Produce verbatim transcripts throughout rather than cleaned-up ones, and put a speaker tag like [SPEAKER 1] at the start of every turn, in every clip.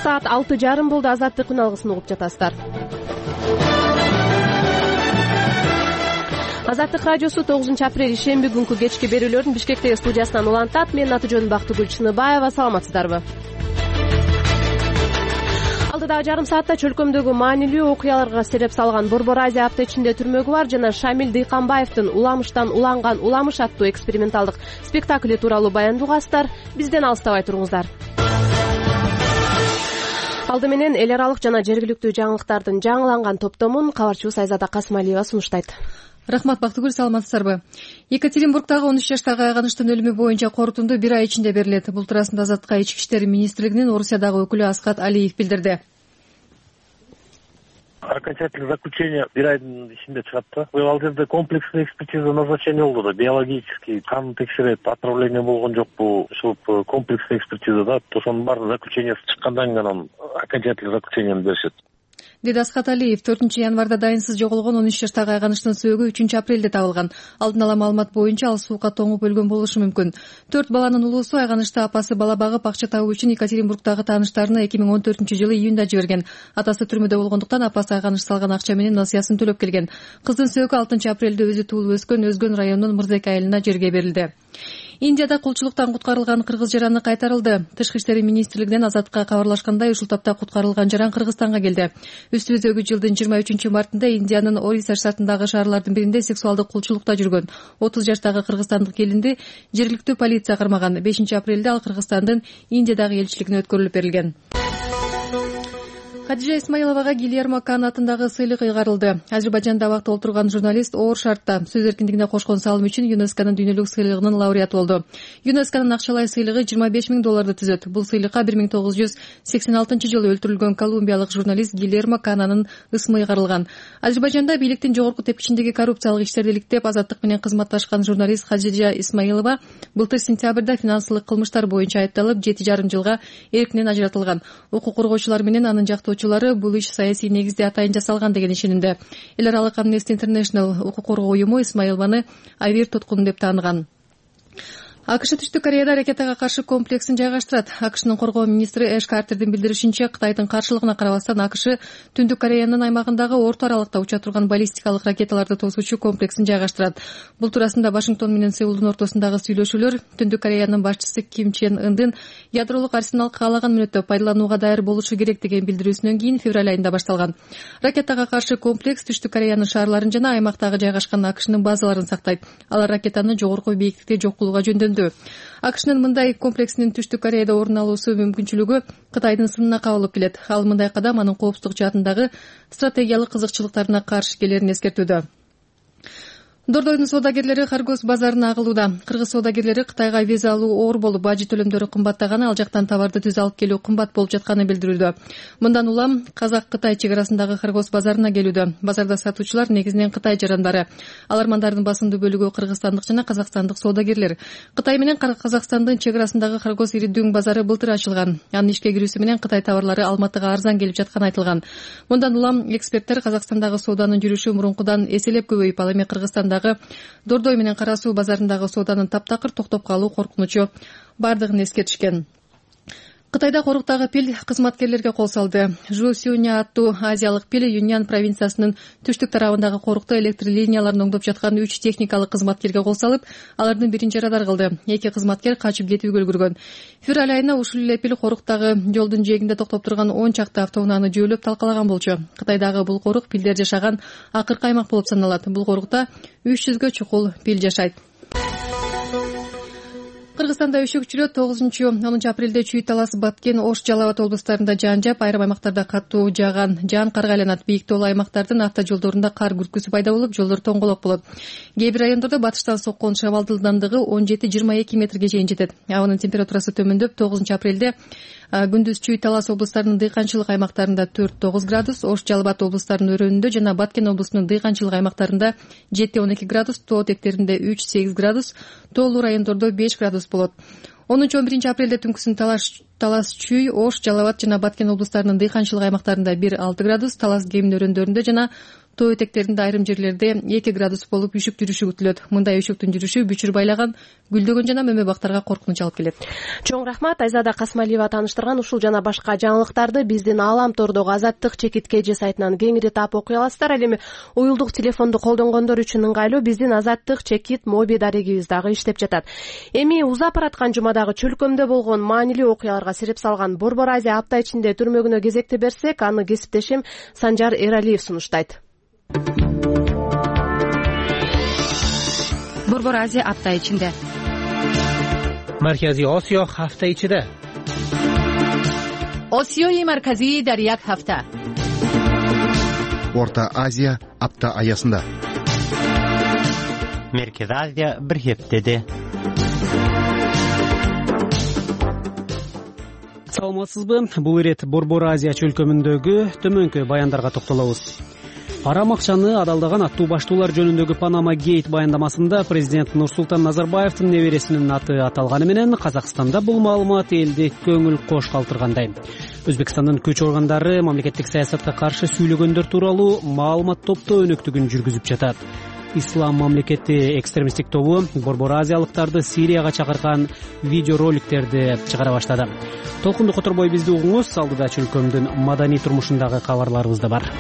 [SPEAKER 1] саат алты жарым болду. Азаттык күн алгысын угуп жатасыздар. Азаттык радиосу тогузунчу апрель ишемби күнкү кечки берүүлөрүн Бишкектеги студиясынан улантат. Менин аты жөнүм Бактыгүл Чыныбаева. Саламатсыздарбы? Алдыдагы жарым саатта чөлкөмдөгү маанилүү окуяларга себеп салган Борбор Азия апта ичинде түрмөгү бар жана Шамил Дыйканбаевдин Уламыштан уланган уламыш аттуу эксперименталдык спектакли тууралуу баяндуу угасыздар. Бизден алыстабай туруңуздар. Алды менен эл аралык жана жергиликтүү жаңылыктардын жаңыланган топтомун кабарчыбыз Айзада Касымалиева сунуштайт.
[SPEAKER 2] Рахмат, Бактыгүл, саламатсыздарбы? Екатеринбургдагы он үч жаштагы айганыштын өлүмү боюнча корутунду бир ай ичинде берилет. Бул туурасында Азаттыкка Ички иштер министрлигинин Орусиядагы өкүлү Асхат Алиев билдирди.
[SPEAKER 3] Окончательное заключение бир айдын ичинде чыгат да. Ал жерде комплексный экспертиза назначение болду да. Биологический кан текшерет, отравление болгон жокпу, ушул комплексный экспертиза да. Ошонун баары заключениясы чыккандан кийин анан окончательный заключениени беришет.
[SPEAKER 2] Деди Асхат Алиев. төртүнчү январда дайынсыз жоголгон он үч жаштагы айганыштын сөөгү үчүнчү апрелде табылган. Алдын ала маалымат боюнча ал суукка тоңуп өлгөн болушу мүмкүн. Төрт баланын улуусу айганычты апасы бала багып акча табуу үчүн Екатеринбургдагы тааныштарына эки миң он төртүнчү жылы июнда жиберген. Атасы түрмөдө болгондуктан апасы айганыш салган акча менен насыясын төлөп келген. Кыздын сөөгү алтынчы апрелде өзү туулуп өскөн Өзгөн районунун Мырзеке айылына жерге берилди. Индияда кулчулуктан куткарылган кыргыз жараны кайтарылды. Тышкы иштер министрлигинен Азаттыкка кабарлашкандай, ушул тапта куткарылган жаран Кыргызстанга келди. Үстүбүздөгү жылдын жыйырма үчүнчү мартында Индиянын Ориса штатындагы шаарлардын биринде сексуалдык кулчулукта жүргөн отуз жаштагы кыргызстандык келинди жергиликтүү полиция кармаган. бешинчи апрелде ал Кыргызстандын Индиядагы элчилигине өткөрүлүп берилген. Хадижа Исмаиловага Гильермо Кан атындагы сыйлык ыйгарылды. Азербайжанда абакта отурган журналист оор шартта сөз эркиндигине кошкон салым үчүн ЮНЕСКОнун дүйнөлүк сыйлыгынын лауреаты болду. ЮНЕСКОнун акчалай сыйлыгы жыйырма беш миң долларды түзөт. Бул сыйлыкка бир миң тогуз жүз сексен алтынчы жылы өлтүрүлгөн колумбиялык журналист Гильермо Кананын ысмы ыйгарылган. Азербайжанда бийликтин жогорку тепкичиндеги коррупциялык иштерди иликтеп, Азаттык менен кызматташкан журналист Хадижа Исмаилова былтыр сентябрда финансылык кылмыштар боюнча айыпталып, жети жарым жылга эркинен ажыратылган. Укук коргоочулар менен анын жактоочулары бул иш саясий негизде атайын жасалган деген ишенимде. Эл аралык Amnesty International укук коргоо уюму Исмаилованы Айвир туткун деп тааныган. АКШ Түштүк Кореяда ракетага каршы комплексин жайгаштырат. АКШнын коргоо министри Эш Картердин билдиришинче, Кытайдын каршылыгына карабастан АКШ Түндүк Кореянын аймагындагы орто аралыкта уча турган баллистикалык ракеталарды тосуучу комплексин жайгаштырат. Бул туурасында Вашингтон менен Сеулдун ортосундагы сүйлөшүүлөр Түндүк Кореянын башчысы Ким Чен Ындын ядролук арсенал каалаган мүнөттө пайдаланууга даяр болушу керек деген билдирүүсүнөн кийин февраль айында башталган. Ракетага каршы комплекс Түштүк Кореянын шаарларын жана аймактагы жайгашкан АКШнын базаларын сактайт. Алар ракетаны жогорку бийиктикте жок кылууга жөндөндү. АКШнын мындай комплексинин Түштүк Кореяда орун алуусу мүмкүнчүлүгү Кытайдын сынына кабылып келет. Ал мындай кадам анын коопсуздук жаатындагы стратегиялык кызыкчылыктарына каршы келерин эскертүүдө. Дордойдун соодагерлери Харгос базарына агылууда. Кыргыз соодагерлери Кытайга виза алуу оор болуп, бажы төлөмдөрү кымбаттаганы, ал жактан товарды түз алып келүү кымбат болуп жатканы билдирүүдө. Мындан улам Казак-Кытай чек арасындагы Харгос базарына келүүдө. Базарда сатуучулар негизинен Кытай жарандары. Алармандардын басымдуу бөлүгү кыргызстандык жана казакстандык соодагерлер. Кытай менен Казакстандын чек арасындагы Харгос иридүүң базары былтыр ачылган. Анын ишке кирүүсү менен Кытай товарлары Алматыга арзан келип жатканы айтылган. Мындан улам эксперттер Казакстандагы сооданын жүрүшү мурункудан эселеп көбөйүп, ал эми Кыргызстанда Дордой менен Кара Суу базарындагы сооданын таптакыр токтоп калуу коркунучу бардыгын эскертишкен. Кытайда коруктагы пил кызматкерлерге кол салды. Жу Сюня аттуу азиялык пил Юньян провинциясынын түштүк тарабындагы корукта электр линияларын оңдоп жаткан үч техникалык кызматкерге кол салып, алардын бирин жарадар кылды. Эки кызматкер качып кетүүгө үлгүргөн. Февраль айында ушул эле пил коруктагы жолдун жээгинде токтоп турган он чакты автоунааны жөөлөп талкалаган болчу. Кытайдагы бул корук пилдер жашаган акыркы аймак болуп саналат. Бул корукта үч жүзгө чукул пил жашайт. Кыргызстанда өшөкчүлөр тогузунчу онунчу апрелде Чүй Талас, Баткен, Ош, Жалал Абад облустарында жаан жаап, айрым аймактарда катуу жааган жаан карга айланат. Бийик тоолуу аймактардын автожолдорунда кар күркүсү пайда болуп, жолдор тоңголок болот. Кээ бир райондордо батыштан соккон шабал ылдамдыгы он жети жыйырма эки метрге чейин жетет. Абанын температурасы төмөндөп, тогузунчу апрелде күндүз Чүй Талас облустарынын дыйканчылык аймактарында төрт тогуз градус, Ош, Жалал Абад облустарынын өрөөнүндө жана Баткен облусунун дыйканчылык аймактарында жети он эки градус, тоо тектеринде үч сегиз градус, тоолуу райондордо беш градус болот. онунчу он биринчи апрелде түнкүсүн Талас, Талас, Чүй, Ош, Жалал Абад жана Баткен облустарынын дыйканчылык аймактарында бир алты градус, Талас Кемин өрөөндөрүндө жана Тоо этектеринде айрым жерлерде эки градус болуп үшүк жүрүшү күтүлөт. Мындай үшүктүн жүрүшү бүчүр байлаган гүлдөгөн жана мөмө бактарга коркунуч алып келет.
[SPEAKER 1] Чоң рахмат. Айзада Касмалиева тааныштырган ушул жана башка жаңылыктарды биздин Аалам тордогу Азаттык чекит кж сайтынан кеңири таап окуй аласыздар. Ал эми уюлдук телефонду колдонгондор үчүн ыңгайлуу биздин Азаттык чекит моби дарегибиз дагы иштеп жатат. Эми узап бараткан жумадагы чөлкөмдө болгон маанилүү окуяларга сереп салган Борбор Азия апта ичинде түрмөгүнө кезекти берсек, аны кесиптешим Санжар Эралиев сунуштайт.
[SPEAKER 4] Борбор Азия апта ичинде.
[SPEAKER 5] Марказий Осиё ҳафта ичида.
[SPEAKER 4] Осиёи марказии дар як ҳафта.
[SPEAKER 6] Орта Азия апта аясында.
[SPEAKER 7] Меркез Азия бир хептеде.
[SPEAKER 5] Саламатсызбы? Бул ирет Борбор Азия чөлкөмүндөгү төмөнкү баяндарга токтолобуз. Арам акчаны адалдаган аттуу баштуулар жөнүндөгү Панама Гейт баяндамасында президент Нурсултан Назарбаевдин небересинин аты аталганы менен Казакстанда бул маалымат элди көңүл кош калтыргандай. Өзбекстандын күч органдары мамлекеттик саясатка каршы сүйлөгөндөр тууралуу маалымат топтоо өнөктүгүн жүргүзүп жатат. Ислам мамлекети экстремисттик тобу Борбор Азиялыктарды Сирияга чакырган видеороликтерди чыгара баштады. Толкунду которбой бизди угуңуз, алдыда чөлкөмдүн маданий турмушундагы кабарларыбыз да бар.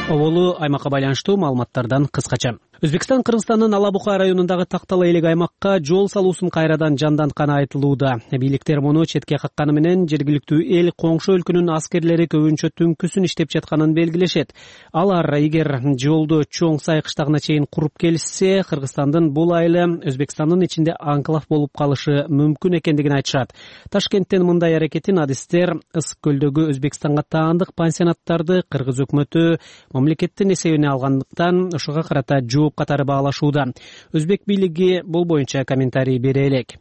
[SPEAKER 5] Оболу аймакка байланыштуу маалыматтардан кыскача. Өзбекстан Кыргызстандын Ала Бука районундагы Тактала элек аймакка жол салуусун кайрадан жандантканы айтылууда. Бийликтер муну четке какканы менен жергиликтүү эл коңшу өлкөнүн аскерлери көбүнчө түнкүсүн иштеп жатканын белгилешет. Алар эгер жолду Чоң Сай кыштагына чейин куруп келишсе, Кыргызстандын бул айылы Өзбекстандын ичинде анклав болуп калышы мүмкүн экендигин айтышат. Ташкенттен мындай аракетин адистер Ысык көлдөгү Өзбекстанга таандык пансионаттарды Кыргыз өкмөтү мамлекеттин эсебине алгандыктан ушуга карата жооп катары баалашууда. Өзбек бийлиги бул боюнча комментарий бере элек.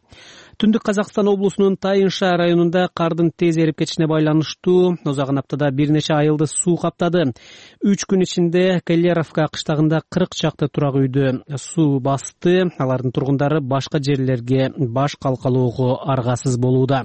[SPEAKER 5] Түндүк Казакстан облусунун Тайынша районунда кардын тез эрип кетишине байланыштуу озаган аптада бир нече айылды суу каптады. Үч күн ичинде Келлеровка кыштагында кырк чакты турак үйдү суу басты. Алардын тургундары башка жерлерге баш калкалоого аргасыз болууда.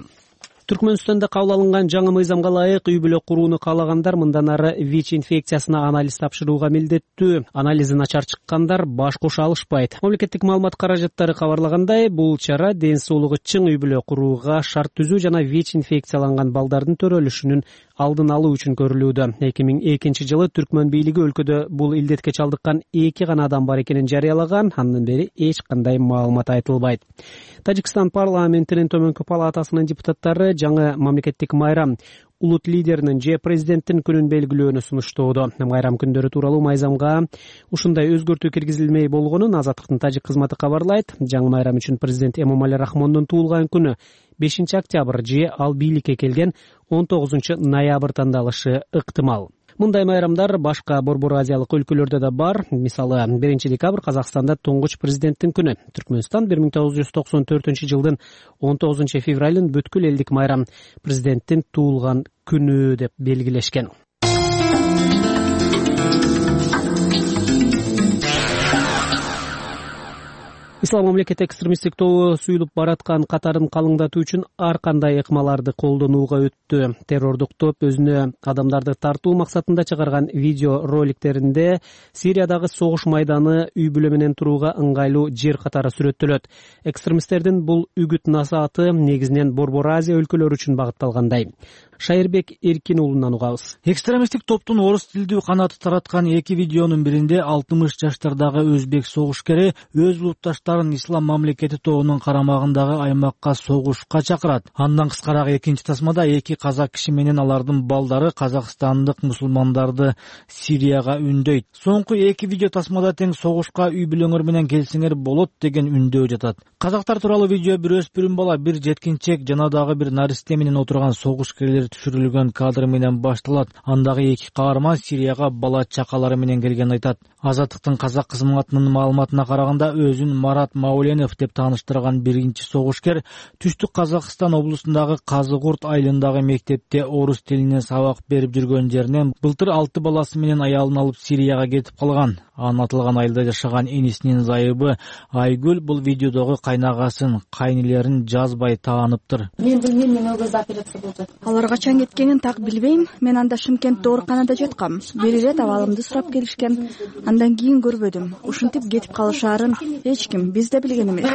[SPEAKER 5] Түркмөнстанда кабыл алынган жаңы мыйзамга ылайык үй бүлө курууну каалагандар мындан ары ВИЧ инфекциясына анализ тапшырууга милдеттүү. Анализи начар чыккандар баш кошо алышпайт. Мамлекеттик маалымат каражаттары кабарлагандай, бул чара ден соолугу чың үй бүлө курууга шарт түзүү жана ВИЧ инфекцияланган балдардын төрөлүшүнүн алдын алуу үчүн көрүлүүдө. эки миң экинчи жылы Түркмөн бийлиги өлкөдө бул илдетке чалдыккан эки гана адам бар экенин жарыялаган. Андан бери эч кандай маалымат айтылбайт. Тажикстан парламентинин төмөнкү палатасынын депутаттары жаңы мамлекеттик майрам улут лидеринин же президенттин күнүн белгилөөнү сунуштоодо. Майрам күндөрү тууралуу мыйзамга ушундай өзгөртүү киргизилмей болгонун Азаттыктын тажик кызматы кабарлайт. Жаңы майрам үчүн президент Эмомали Рахмондун туулган күнү бешинчи октябрь же ал бийликке келген он тогузунчу ноябрь тандалышы ыктымал. Мындай майрамдар башка Борбор Азиялык өлкөлөрдө да бар. Мисалы, биринчи декабрь Казакстанда туңгуч президенттин күнү. Түркмөнстан бир миң тогуз жүз токсон төртүнчү жылдын он тогузунчу февралын бүткүл элдик майрам президенттин туулган күнү деп белгилешкен. Ислам мамлекети экстремисттик тобу суюлуп бараткан катарын калыңдатуу үчүн ар кандай ыкмаларды колдонууга өттү. Террордук топ өзүнө адамдарды тартуу максатында чыгарган видео роликтеринде Сириядагы согуш майданы үй бүлө менен турууга ыңгайлуу жер катары сүрөттөлөт. Экстремисттердин бул үгүт насааты негизинен Борбор Азия өлкөлөрү үчүн багытталгандай. Шайырбек Эркин уулунан угабыз.
[SPEAKER 8] Экстремисттик топтун орус тилдүү канаты тараткан эки видеонун биринде алтымыш жаштардагы өзбек согушкери өз улутташтарын Ислам мамлекети тобунун карамагындагы аймакка согушка чакырат. Андан кыскараак экинчи тасмада эки казак киши менен алардын балдары казакстандык мусулмандарды Сирияга үндөйт. Соңку эки видео тасмада тең согушка үй бүлөңөр менен келсеңер болот деген үндөө жатат. Казактар тууралуу видео бир өспүрүм бала, бир жеткинчек жана дагы бир наристе менен отурган согушкерлер түшүрүлгөн кадр менен башталат. Андагы эки каарман Сирияга бала чакалары менен келгенин айтат. Азаттыктын казак кызматынын маалыматына караганда, өзүн Марат Мауленов деп тааныштырган биринчи согушкер Түштүк Казакстан облусундагы Казыгурт айылындагы мектепте орус тилинен сабак берип жүргөн жеринен былтыр алты баласы менен аялын алып Сирияга кетип калган. Анын аталган айылда жашаган энесинин зайыбы Айгүл бул видеодогу кайнагасын, кайнелерин жазбай тааныптыр.
[SPEAKER 9] Мен билбейм, мен ол кезде операция болду. Алар качан кеткенин так билбейм. Мен анда Шымкентте ооруканада жаткам. Бир ирет абалымды сурап келишкен. Андан кийин көрбөдүм. Ушинтип кетип калышаарын эч ким биз да билген эмес.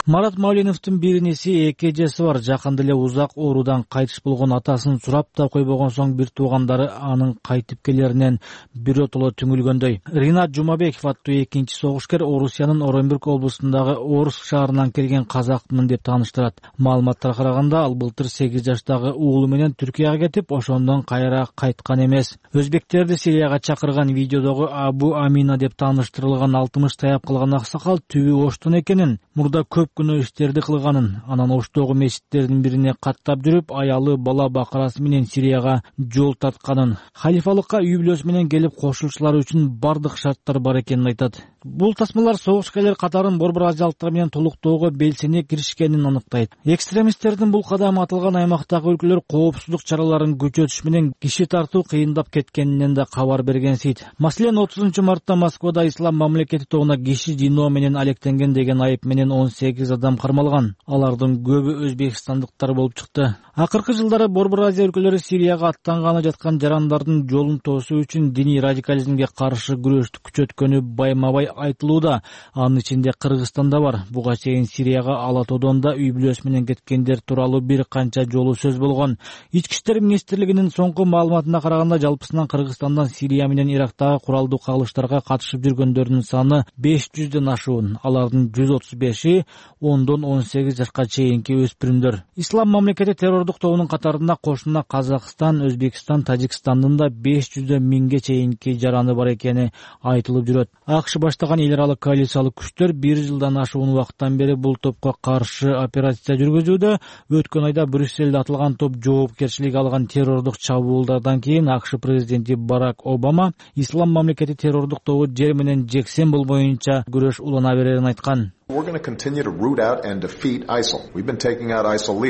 [SPEAKER 8] Марат Мавленовдун бир инеси эки эжеси бар. Жакында эле узак оорудан кайтыш болгон атасын сурап да койбогон соң бир туугандары анын кайтып келеринен биротоло түңүлгөндөй. Ринат Жумабеков аттуу экинчи согушкер Орусиянын Оренбург облусундагы Орск шаарынан келген казакмын деп тааныштырат. Маалыматтарга караганда ал былтыр сегиз жаштагы уулу менен Түркияга кетип, ошондон кайра кайткан эмес. Өзбектерди Сирияга чакырган видеодогу Абу Амина деп тааныштырылган алтымыш таяп калган аксакал түбү Оштон экенин, мурда көп күнөө иштерди кылганын, анан Оштогу мечиттердин бирине каттап жүрүп, аялы бала бакырасы менен Сирияга жол тартканын, халифалыкка үй бүлөсү менен келип кошулушулары үчүн бардык шарттар бар экенин айтат. Бул тасмалар согушкерлер катарын борбор азиялыктар менен толуктоого белсене киришкенин аныктайт. Экстремисттердин бул кадамы аталган аймактагы өлкөлөр коопсуздук чараларын күчөтүш менен киши тартуу кыйындап кеткенинен да кабар бергенсийт. Маселен, отузунчу мартта Москвада ислам мамлекети тобуна киши жиноо менен алектенген деген айып менен он сегиз адам кармалган. Алардын көбү өзбекстандыктар болуп чыкты. Акыркы жылдары борбор Азия өлкөлөрү Сирияга аттанганы жаткан жарандардын жолун тоосуу үчүн диний радикализмге каршы күрөштү күчөткөнү байма-бай айтылууда. Анын ичинде Кыргызстан да бар. Буга чейин Сирияга Ала Тоодон да үй бүлөсү менен кеткендер тууралуу бир канча жолу сөз болгон. Ички иштер министрлигинин соңку маалыматына караганда, жалпысынан Кыргызстандан Сирия менен Ирактагы куралдуу кагылыштарга катышып жүргөндөрдүн саны беш жүздөн ашуун. Алардын жүз отуз беши ондон он сегиз жашка чейинки өспүрүмдөр. Ислам мамлекети террордук тобунун катарында кошуна Казакстан, Өзбекстан, Тажикстандын да беш жүздөн миңге чейинки жараны бар экени айтылып жүрөт. АКШ баштаган эл аралык коалициялык күчтөр бир жылдан ашуун убакыттан бери бул топко каршы операция жүргүзүүдө. Өткөн айда Брюсселде атылган топ жоопкерчилик алган террордук чабуулдардан кийин АКШ президенти Барак Обама ислам мамлекети террордук тобу жер менен жексен болбоюнча күрөш улана берерин айткан.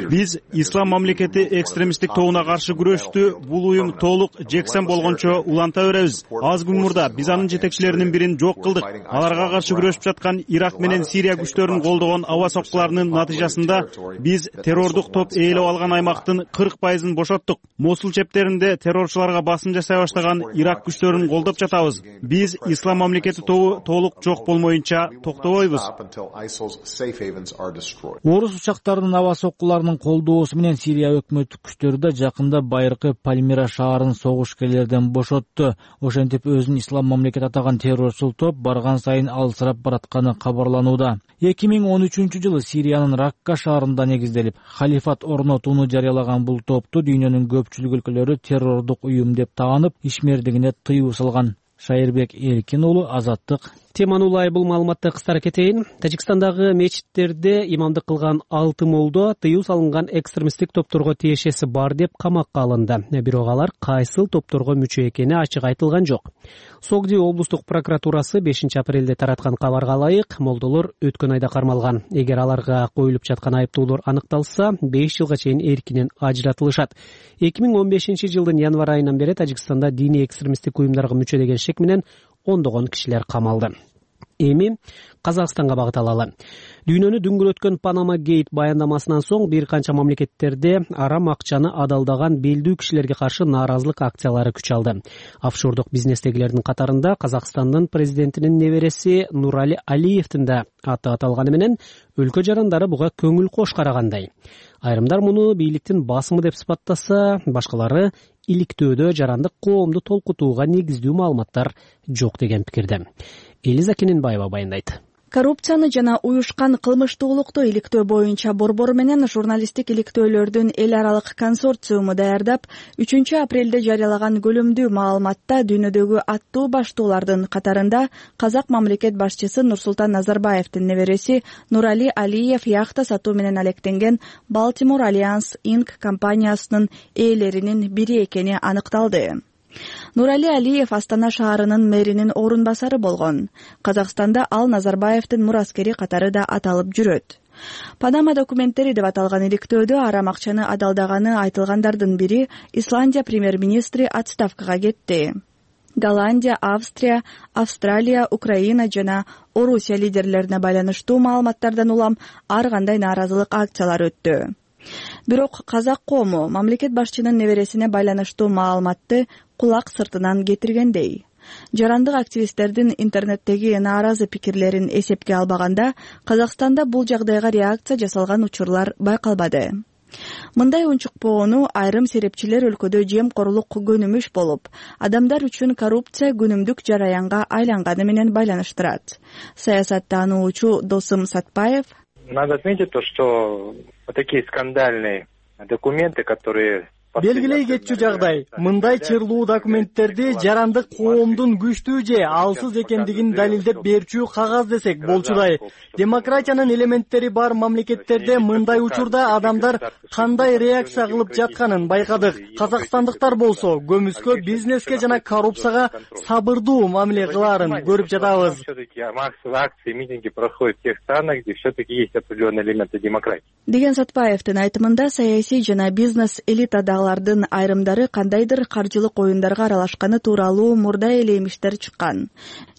[SPEAKER 10] Биз ислам мамлекети экстремисттик тобуна каршы күрөштү бул уюм толук жексен болгончо уланта беребиз. Аз күн мурда биз анын жетекчилеринин бирин жок кылдык. Аларга каршы күрөшүп жаткан Ирак менен Сирия күчтөрүн колдогон аба соккуларынын натыйжасында биз террордук топ ээлеп алган аймактын кырк пайызын бошоттук. Мосул чептеринде террорчуларга басым жасай баштаган Ирак күчтөрүн колдоп жатабыз. Биз ислам мамлекети тобу толук жок болмоюнча токтобойбуз.
[SPEAKER 8] Орус учактарынын аба соккуларынын колдоосу менен Сирия өкмөттүк күчтөрү да жакында байыркы Пальмира шаарын согушкерлерден бошотту. Ошентип өзүн ислам мамлекет атаган террорчул топ барган сайын алсырап баратканы кабарланууда. эки миң он үчүнчү жылы Сириянын Ракка шаарында негизделип, халифат орнотууну жарыялаган бул топту дүйнөнүн көпчүлүк өлкөлөрү террордук уюм деп таанып, ишмердигине тыюу салган. Шайырбек Эркин уулу, Азаттык.
[SPEAKER 5] Теманы улай бул маалыматты кыскара кетейин. Тажикстандагы мечиттерде имамдык кылган алты молдо тыюу салынган экстремисттик топторго тиешеси бар деп камакка алынды. Бирок алар кайсыл топторго мүчө экени ачык айтылган жок. Согди облустук прокуратурасы бешинчи апрелде тараткан кабарга ылайык, молдолор өткөн айда кармалган. Эгер аларга коюлуп жаткан айыптоолор аныкталса, беш жылга чейин эркинен ажыратылышат. эки миң он бешинчи жылдын январь айынан бери Тажикстанда диний экстремисттик уюмдарга мүчө деген шек менен ондогон кишилер камалды. Эми Казакстанга багыт алалы. Дүйнөнү дүңгүрөткөн Панама Гейт баяндамасынан соң бир канча мамлекеттерде арам акчаны адалдаган белдүү кишилерге каршы нааразылык акциялары күч алды. Офшордук бизнестегилердин катарында Казакстандын президентинин небереси Нурали Алиевдин да аты аталганы менен өлкө жарандары буга көңүл кош карагандай. Айрымдар муну бийликтин басымы деп сыпаттаса, башкалары иликтөөдө жарандык коомду толкутууга негиздүү маалыматтар жок деген пикирде. Элиза Кененбаева баяндайт.
[SPEAKER 9] Коррупцияны жана уюшкан кылмыштуулукту иликтөө боюнча борбор менен журналисттик иликтөөлөрдүн эл аралык консорциуму даярдап, үчүнчү апрелде жарыялаган көлөмдүү маалыматта дүйнөдөгү аттуу баштоолордун катарында казак мамлекет башчысы Нурсултан Назарбаевдин небереси Нурали Алиев яхта сатуу менен алектенген Baltimore Alliance Incorporated компаниясынын ээлеринин бири экени аныкталды. Нурали Алиев Астана шаарынын мэринин орун басары болгон. Казакстанда ал Назарбаевдин мураскери катары да аталып жүрөт. Панама документтери деп аталган иликтөөдө арам акчаны адалдаганы айтылгандардын бири Исландия премьер-министри отставкага кетти. Голландия, Австрия, Австралия, Украина жана Орусия лидерлерине байланыштуу маалыматтардан улам ар кандай нааразылык акциялары өттү. Бирок казак коому мамлекет башчынын небересине байланыштуу маалыматты кулак сыртынан кетиргендей. Жарандык активисттердин интернеттеги нааразы пикирлерин эсепке албаганда, Казакстанда бул жагдайга реакция жасалган учурлар байкалбады. Мындай унчукпоону айрым серепчилер өлкөдө жемкорлук көнүмүш болуп, адамдар үчүн коррупция күнүмдүк жараянга айланганы менен байланыштырат. Саясаттануучу Досым Сатпаев:
[SPEAKER 11] Надо отметить то, что вот такие скандальные документы, которые
[SPEAKER 12] белгилей кетчү жагдай, мындай чырлуу документтерди жарандык коомдун күчтүү же алсыз экендигин далилдеп берчү кагаз десек болчудай. Демократиянын элементтери бар мамлекеттерде мындай учурда адамдар кандай реакция кылып жатканын байкадык. Казакстандыктар болсо көмүскө, бизнеске жана коррупцияга сабырдуу мамиле кылаарын көрүп жатабыз.
[SPEAKER 11] Акции, митинги проходят в тех странах, где все-таки есть определенные элементы демократии.
[SPEAKER 9] Деген Сатпаевдин айтымында саясий жана бизнес элитада лардын айрымдары кандайдыр каржылык оюндарга аралашканы тууралуу мурда эле эмиштер чыккан.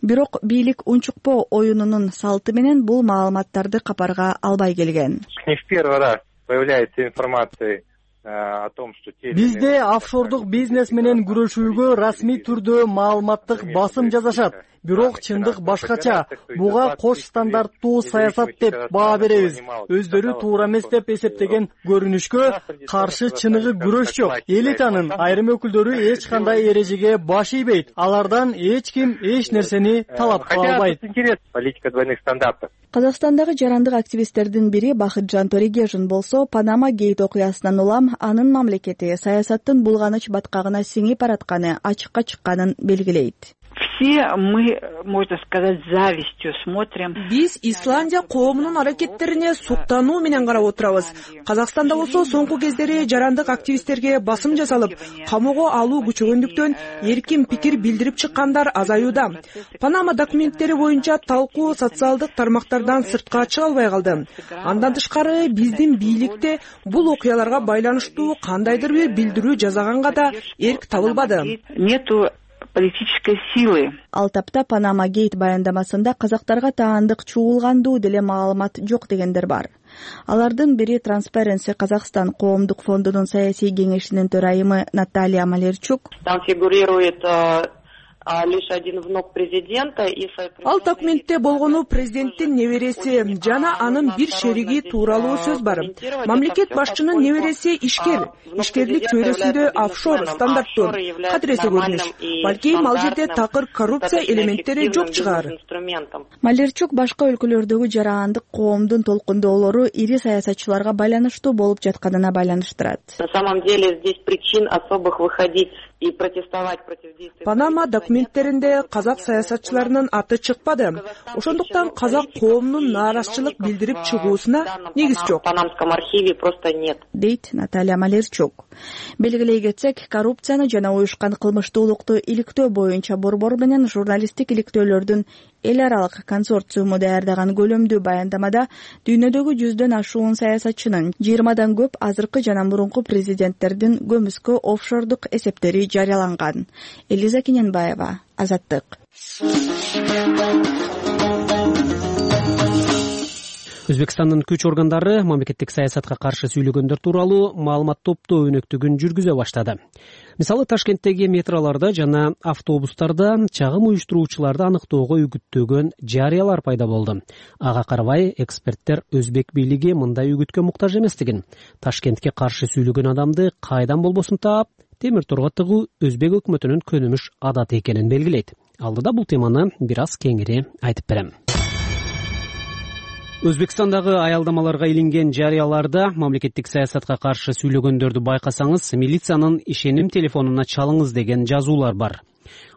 [SPEAKER 9] Бирок бийлик унчукпоо оюнунун салты менен бул маалыматтарды капарга албай келген.
[SPEAKER 11] Не в первый раз появляется информация о том, что
[SPEAKER 12] бизде офшордук бизнес менен күрөшүүгө расмий түрдө маалыматтык басым жасашат. Бирок чындык башкача. Буга кош стандарттуу саясат деп баа беребиз. Өздөрү туура эмес деп эсептеген көрүнүшкө каршы чыныгы күрөш жок. Элитанын айрым өкүлдөрү эч кандай эрежеге баш ийбейт. Алардан эч ким эч нерсени талап кыла албайт.
[SPEAKER 11] Политика двойных стандартов.
[SPEAKER 9] Казакстандагы жарандык активисттердин бири Бахытжан Торегежин болсо, Панама гейт окуясынан улам анын мамлекети саясаттын булганыч баткагына сиңип баратканы ачыкка чыкканын белгилейт.
[SPEAKER 13] Все мы, можно сказать, завистью смотрим.
[SPEAKER 14] Биз Исландия коомунун аракеттерине суктануу менен карап отурабыз. Казакстанда болсо соңку кездери жарандык активисттерге басым жасалып, камоого алуу күчөгөндүктөн эркин пикир билдирип чыккандар азаюуда. Панама документтери боюнча талкуу социалдык тармактардан сыртка чыга албай калды. Андан тышкары биздин бийликте бул окуяларга байланыштуу кандайдыр бир билдирүү жасаганга да эрк табылбады.
[SPEAKER 13] Нету политической силы.
[SPEAKER 9] Ал тапта Панама гейт баяндамасында казактарга таандык чуулгандуу деле маалымат жок дегендер бар. Алардын бири Transparency Казахстан коомдук фондунун саясий кеңешинин төрайымы Наталья Малерчук.
[SPEAKER 15] Там фигурирует лишь один внук президента.
[SPEAKER 14] Ал документте болгону президенттин небереси жана анын бир шериги тууралуу сөз бар. Мамлекет башчынын небереси ишкер. Ишкерлик чөйрөсүндө офшор стандарттуу кадыресе көрүнүш. Балки ал жерде такыр коррупция элементтери жок чыгар.
[SPEAKER 9] Малерчук башка өлкөлөрдөгү жарандык коомдун толкундоолору ири саясатчыларга байланыштуу болуп жатканына байланыштырат.
[SPEAKER 15] На самом деле здесь причин особых выходить и протестовать против действий.
[SPEAKER 14] Панама документтеринде казак саясатчыларынын аты чыкпады. Ошондуктан казак коомунун нааразычылык билдирип чыгуусуна негиз жок.
[SPEAKER 15] В панамском архиве просто нет.
[SPEAKER 9] Дейт Наталья Малерчук. Белгилей кетсек, коррупцияны жана уюшкан кылмыштуулукту иликтөө боюнча борбор менен журналисттик иликтөөлөрдүн эл аралык консорциуму даярдаган көлөмдүү баяндамада дүйнөдөгү жүздөн ашуун саясатчынын жыйырмадан көп азыркы жана мурунку президенттердин көмүскө офшордук эсептери жарыяланган. Элиза Кененбаева, Азаттык.
[SPEAKER 5] Өзбекстандын күч органдары мамлекеттик саясатка каршы сүйлөгөндөр тууралуу маалымат топтоо өнөктүгүн жүргүзө баштады. Мисалы, Ташкенттеги метролордо жана автобустарда чагым уюштуруучуларды аныктоого үгүттөгөн жарыялар пайда болду. Ага карабай, эксперттер өзбек бийлиги мындай үгүткө муктаж эместигин, Ташкентке каршы сүйлөгөн адамды кайдан болбосун таап, темир торго тыгуу өзбек өкмөтүнүн көнүмүш адаты экенин белгилейт. Алдыда бул теманы бир аз кеңири айтып берем. Өзбекстандагы аялдамаларга илинген жарыяларда мамлекеттик саясатка каршы сүйлөгөндөрдү байкасаңыз, милициянын ишеним телефонуна чалыңыз деген жазуулар бар.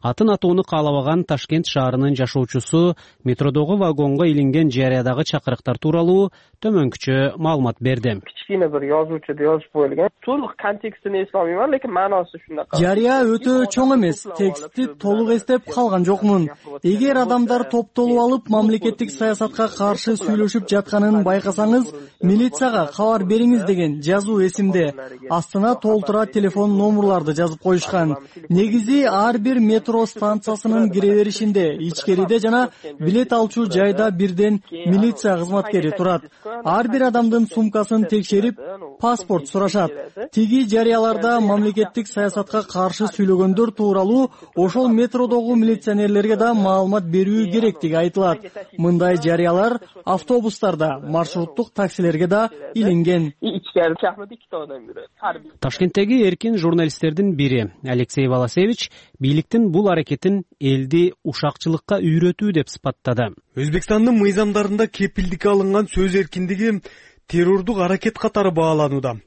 [SPEAKER 5] Атын атоону каалабаган Ташкент шаарынын жашоочусу метродогу вагонго илинген жарыядагы чакырыктар тууралуу төмөнкүчө маалымат берди.
[SPEAKER 16] Кичине бир жазуучуда жазып коюлган. Толук контекстин эсе алмайм, лекин маанасы ушундай.
[SPEAKER 12] Жарыя өтө чоң эмес, текстти толук эстеп калган жокмун. Эгер адамдар топтолуп алып мамлекеттик саясатка каршы сүйлөшүп жатканын байкасаңыз, милицияга кабар бериңиз деген жазуу эсимде. Астына толтура телефон номерларды жазып коюшкан. Негизи ар бир бир метро станциясынын кире беришинде, ичкериде жана билет алчу жайда бирден милиция кызматкери турат. Ар бир адамдын сумкасын текшерип, паспорт сурашат. Тиги жарыяларда мамлекеттик саясатка каршы сүйлөгөндөр тууралуу ошол метродогу милиционерлерге да маалымат берүү керектиги айтылат. Мындай жарыялар автобустарда, маршруттук таксилерге да илинген.
[SPEAKER 5] Ташкенттеги эркин журналисттердин бири Алексей Волосевич бийликтин бул аракетин элди ушакчылыкка үйрөтүү деп сыпаттады.
[SPEAKER 17] Өзбекстандын мыйзамдарында кепилдикке алынган сөз эркиндиги террордук аракет катары бааланууда.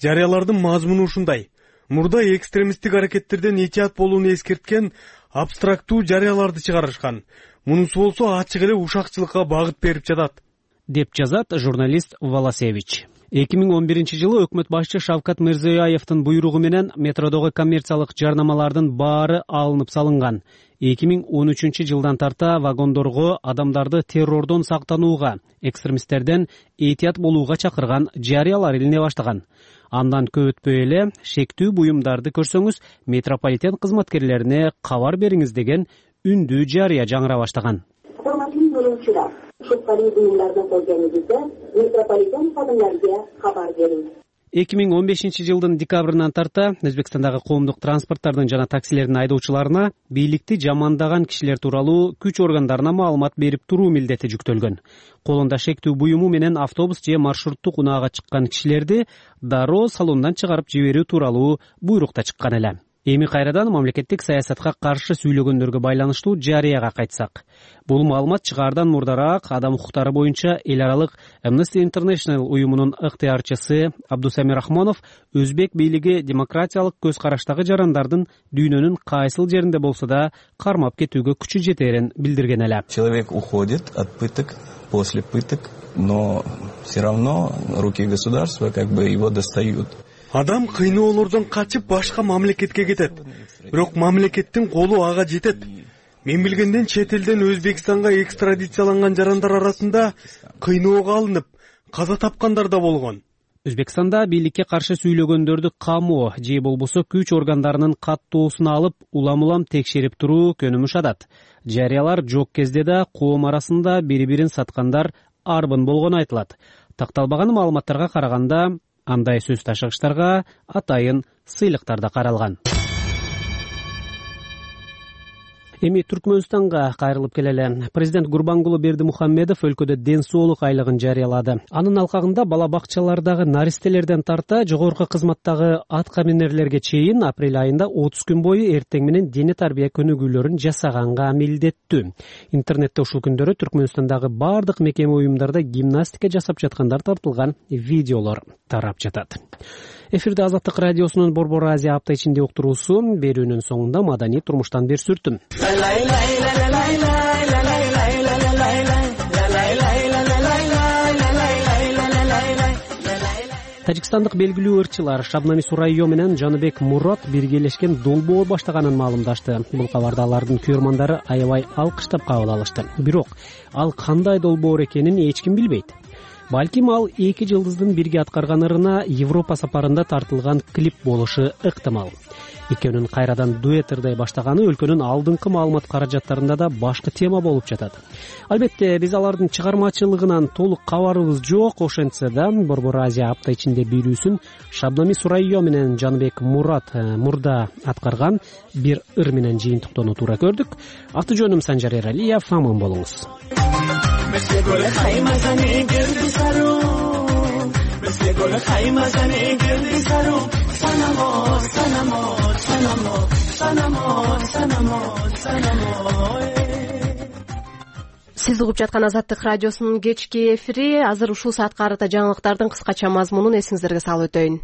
[SPEAKER 17] Жарыялардын мазмуну ушундай: мурда экстремисттик аракеттерден этият болууну эскерткен абстрактуу жарыяларды чыгарышкан. Мунусу болсо ачык эле ушакчылыкка багыт берип жатат,
[SPEAKER 5] деп жазат журналист Волосевич. эки миң он биринчи жылы өкмөт башчы Шавкат Мирзиёевдин буйругу менен метродогу коммерциялык жарнамалардын баары алынып салынган. эки миң он үчүнчү жылдан тарта вагондорго адамдарды террордон сактанууга, экстремисттерден этият болууга чакырган жарыялар илине баштаган. Андан көп өтпөй эле шектүү буюмдарды көрсөңүз, метрополитен кызматкерлерине кабар бериңиз деген үндүү жарыя жаңыра баштаган.
[SPEAKER 18] Урматтуу болуучулар, шукталуу буюмдарды көргөнүңүздө метрополитен кадымдарга кабар бериңиз.
[SPEAKER 5] эки миң он бешинчи жылдын декабрынан тарта Өзбекстандагы коомдук транспорттардын жана таксилердин айдоочуларына бийликти жамандаган кишилер тууралуу күч органдарына маалымат берип туруу милдети жүктөлгөн. Колунда шектүү буюму менен автобус же маршруттук унаага чыккан кишилерди дароо салондон чыгарып жиберүү тууралуу буйрук да чыккан эле. Эми кайрадан мамлекеттик саясатка каршы сүйлөгөндөргө байланыштуу жарыяга кайтсак. Бул маалымат чыгаардан мурдараак адам укуктары боюнча эл аралык Amnesty International уюмунун ыктыярчысы Абдусамир Рахмонов өзбек бийлиги демократиялык көз караштагы жарандардын дүйнөнүн кайсыл жеринде болсо да кармап кетүүгө күчү жетерин билдирген эле.
[SPEAKER 19] Человек уходит от пыток, после пыток, но все равно руки государства как бы его достают.
[SPEAKER 17] Адам кыйноолордон качып башка мамлекетке кетет. Бирок мамлекеттин колу ага жетет. Мен билгенден чет элден Өзбекстанга экстрадицияланган жарандар арасында кыйноого алынып, каза тапкандар да болгон.
[SPEAKER 5] Өзбекстанда бийликке каршы сүйлөгөндөрдү камоо же болбосо күч органдарынын каттоосуна алып, улам-улам текшерип туруу көнүмүш адат. Жарыялар жок кезде да коом арасында бири-бирин саткандар арбын болгону айтылат. Такталбаган маалыматтарга караганда андай сөз ташыгычтарга атайын сыйлыктар да каралган. Эми Түркмөнстанга кайрылып келели. Президент Гурбангулы Бердимухаммедов өлкөдө ден соолук айлыгын жарыялады. Анын алкагында бала бакчалардагы наристелерден тарта жогорку кызматтагы атка минерлерге чейин апрель айында отуз күн бою эртең менен дене тарбия көнүгүүлөрүн жасаганга милдеттүү. Интернетте ушул күндөрү Түркмөнстандагы бардык мекеме уюмдарда гимнастика жасап жаткандар тартылган видеолор тарап жатат. Эфирде Азаттык радиосунун Борбор Азия апта ичинде уктуруусу, берүүнүн соңунда маданий турмуштан бир сүртүм. Тажикстандык белгилүү ырчылар Шабнами Сурайё менен Жаныбек Мурат биргелешкен долбоор баштаганын маалымдашты. Бул кабарды алардын көрмандары аябай алкыштап кабыл алышты. Бирок ал кандай долбоор экенин эч ким билбейт. Балким ал эки жылдыздын бирге аткарган ырына Европа сапарында тартылган клип болушу ыктымал. Экөөнүн кайрадан дуэт ырдай баштаганы өлкөнүн алдыңкы маалымат каражаттарында да башкы тема болуп жатат. Албетте, биз алардын чыгармачылыгынан толук кабарыбыз жок, ошентсе да Борбор Азия апта ичинде берүүсүн Шабнами Сурайё менен Жаныбек Мурат мурда аткарган бир ыр менен жыйынтыктоону туура көрдүк. Аты жөнүм Санжар Эралиев, аман болуңуз.
[SPEAKER 1] Сиз угуп жаткан Азаттык радиосунун кечки эфири. Азыр ушул саатка карата жаңылыктардын кыскача мазмунун эсиңиздерге салып өтөйүн.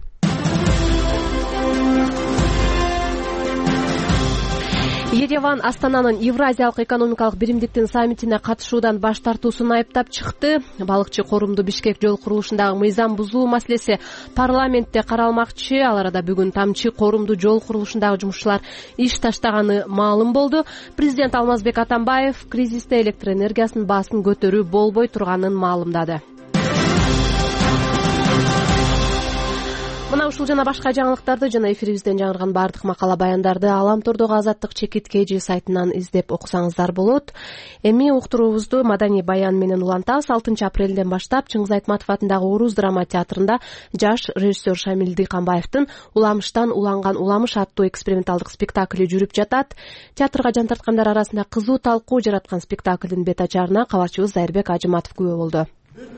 [SPEAKER 1] Ереван Астананын Евразиялык экономикалык биримдиктин саммитине катышуудан баш тартуусун айыптап чыкты. Балыкчы корумду Бишкек жол курулушундагы мыйзам бузуу маселеси парламентте каралмакчы. Ал арада бүгүн Тамчы корумду жол курулушундагы жумушчулар иш таштаганы маалым болду. Президент Алмазбек Атамбаев кризисте электр энергиясынын баасын көтөрүү болбой турганын маалымдады. мына ушул жана башка жаңылыктарды жана эфирибизден жаңырган баардык макала баяндарды Аламтордогу Азаттык чекит kg сайтынан издеп окусаңыздар болот. Эми уктуруубузду маданий баян менен улантабыз. алтынчы апрелден баштап Чыңгыз Айтматов атындагы Орус драма театрында жаш режиссер Шамил Дыйканбаевдин Уламыштан уланган уламыш аттуу эксперименталдык спектакли жүрүп жатат. Театрга жан тарткандар арасында кызуу талкуу жараткан спектаклдин бет ачарына кабарчыбыз Зайырбек Ажыматов күбө болду.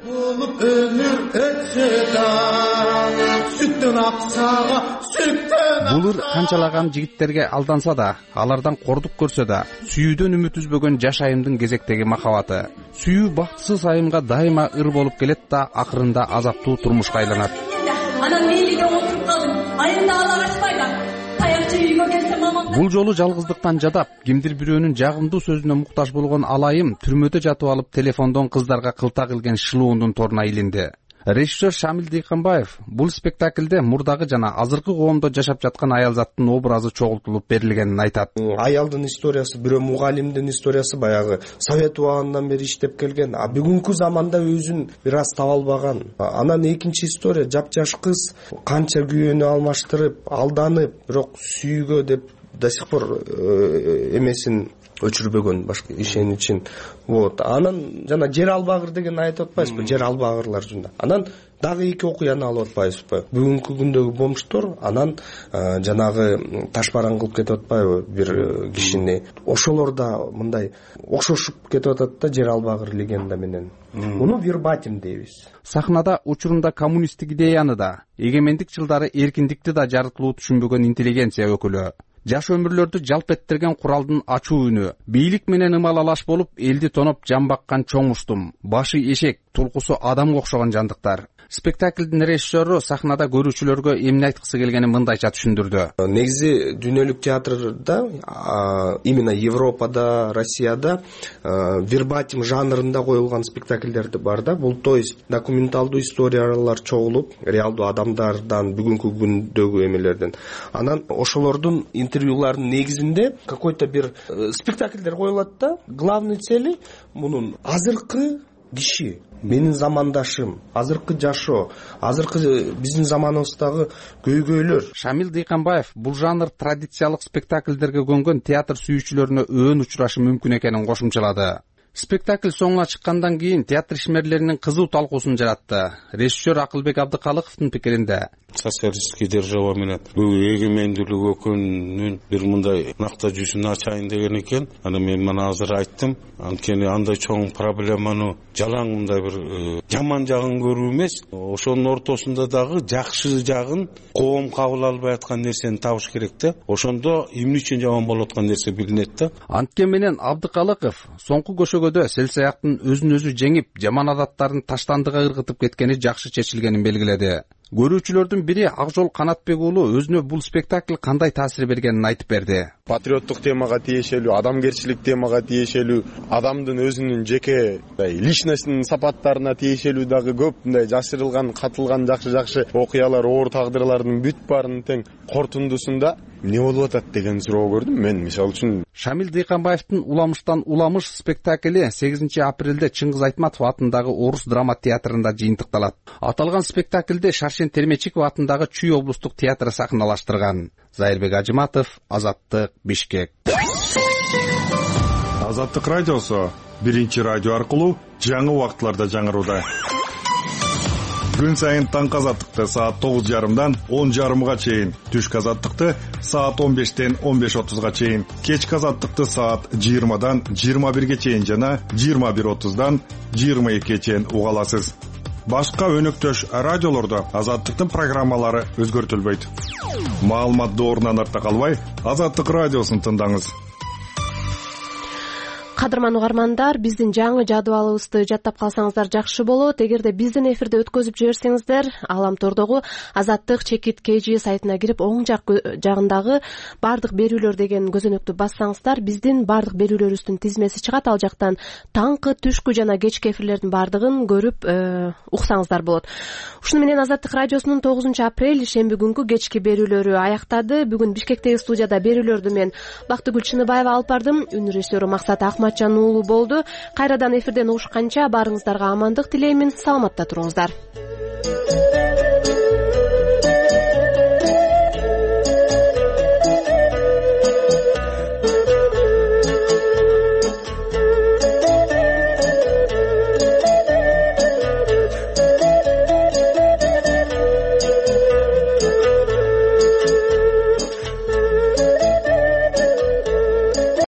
[SPEAKER 20] Болуп өмүр өтсө да сүттөн аксага сүттөн
[SPEAKER 21] булур канчалаган жигиттерге алданса да, алардан кордук көрсө да, сүйүүдөн үмүт үзбөгөн жаш айымдын кезектеги махабаты. Сүйүү бактысыз айымга дайыма ыр болуп келет да, акырында азаптуу турмушка айланат.
[SPEAKER 22] Анан мейлиге отуруп калдым. Айымда ала качпайда. Таякчы үйгө келсе мамам.
[SPEAKER 21] Бул жолу жалгыздыктан жадап, кимдир бирөөнүн жагымдуу сөзүнө муктаж болгон алайым түрмөдө жатып алып телефондон кыздарга кылта килген шылуундун торуна илинди. Режиссер Шамил Дыйканбаев бул спектаклде мурдагы жана азыркы коомдо жашап жаткан аялзаттын образы чогултулуп берилгенин айтат.
[SPEAKER 23] Аялдын историясы, бирөө мугалимдин историясы баягы совет убагынан бери иштеп келген, а бүгүнкү заманда өзүн бир аз таба албаган. Анан экинчи история жапжаш кыз канча күйөөнү алмаштырып, алданып, бирок сүйүүгө деп до сих пор эмесин өчүрбөгөн, башка ишеничин. Вот. Анан жана жер албагыр деген айтып атпайсызбы? Жер албагырлар жөнүндө. Анан дагы эки окуяны алып атпайсызбы? Бүгүнкү күндөгү бомштор анан жанагы ташбаран кылып кетип атпайбы бир кишини? Ошолор да мындай окшошуп кетип атат да жер албагыр легенда менен. Муну вербатим дейбиз.
[SPEAKER 21] Сахнада учурунда коммунисттик идеяны да, эгемендик жылдары эркиндикти да жарыктылуу түшүнбөгөн интеллигенция өкүлү. Жаш өмүрлөрдү жалп эттерген куралдын ачуу үнү, бийлик менен ымалалаш болуп элди тоноп жан баккан чоң устум, башы эшек, тулкусу адамга окшогон жандыктар. Спектаклдин режиссеру сахнада көрүүчүлөргө эмне айткысы келгенин мындайча түшүндүрдү.
[SPEAKER 23] Негизи дүйнөлүк театрда, именно Европада, Россияда вербатим жанрында коюлган спектакльдер бар да. Бул то есть документалдуу историялар чогулуп, реалдуу адамдардан, бүгүнкү күндөгү эмелерден. Анан ошолордун интервьюларынын негизинде какой-то бир спектакльдер коюлат да. Главный цели мунун азыркы киши, менин замандашым, азыркы жашоо, азыркы биздин заманыбыздагы көйгөйлөр.
[SPEAKER 21] Шамил Дыйканбаев бул жанр традициялык спектакльдерге көнгөн театр сүйүүчүлөрүнө өөн учурашы мүмкүн экенин кошумчалады. Спектакль соңуна чыккандан кийин театр ишмерлеринин кызуу талкуусун жаратты. Режиссер Акылбек Абдыкалыковдун пикиринде,
[SPEAKER 24] социалисттик держава менен бул эгемендүүлүк өкүнүн бир мындай накта жүзүн ачайын деген экен. Аны мен мына азыр айттым. Анткени андай чоң проблеманы жалаң мындай бир жаман жагын көрүү эмес, ошонун ортосунда дагы жакшы жагын коом кабыл албай аткан нерсени табыш керек да. Ошондо эмне үчүн жаман болуп аткан нерсе билинет да.
[SPEAKER 21] Анткени менен Абдыкалыков соңку көшөгөдө селсаяктын өзүн өзү жеңип, жаман адаттарын таштандыга ыргытып кеткени жакшы чечилгенин белгиледи. Көрүүчүлөрдүн бири Акжол Канатбек уулу өзүнө бул спектакль кандай таасир бергенин айтып берди.
[SPEAKER 25] Патриоттук темага тиешелүү, адамгерчилик темага тиешелүү, адамдын өзүнүн жеке личностьтин сапаттарына тиешелүү дагы көп мындай жашырылган, катылган жакшы-жакшы окуялар, оор тагдырлардын бүт баарынын тең кортундусунда эмне болуп атат деген суроо көрдүм мен. Мисалы үчүн
[SPEAKER 21] Шамил Дыйканбаевдин Уламыштан уламыш спектакли сегизинчи апрелде Чыңгыз Айтматов атындагы Орус драма театрында жыйынтыкталат. Аталган спектакльде Шаршен Термечиков атындагы Чүй облустук театры сахналаштырган. Зайырбек Ажыматов, Азаттык, Бишкек.
[SPEAKER 26] Азаттык радиосу биринчи радио аркылуу жаңы убакытларда жаңырууда. Күн сайын таңкы азаттыкты саат тогуз жарымдан он жарымга чейин, түшкү азаттыкты саат он бештен он беш отузга чейин, кечки азаттыкты саат жыйырмадан жыйырма бирге чейин жана жыйырма бир отуздан жыйырма экиге чейин уга аласыз. Башка өнөктөш радиолордо азаттыктын программалары өзгөртүлбөйт. Маалымат доорунан артта калбай, Азаттык радиосун тыңдаңыз.
[SPEAKER 1] Кадырман угармандар, биздин жаңы жадыбалыбызды жаттап калсаңыздар жакшы болот. Эгерде биздин эфирде өткөзүп жиберсеңиздер, Аламтордогу Азаттык чекит kg сайтына кирип, оң жак жагындагы бардык берүүлөр деген көзөнөктү бассаңыздар, биздин бардык берүүлөрүбүздүн тизмеси чыгат. Ал жактан таңкы, түшкү жана кечки эфирлердин бардыгын көрүп уксаңыздар болот. Ушуну менен Азаттык радиосунун тогузунчу апрель шемби күнгү кечки берүүлөрү аяктады. Бүгүн Бишкектеги студияда берүүлөрдү мен Бактыгүл Чыныбаева алып бардым. Үн режиссеру Максат Ахматжан уулу болду. Кайрадан эфирден угушканча баарыңыздарга амандык тилеймин. Саламатта туруңуздар.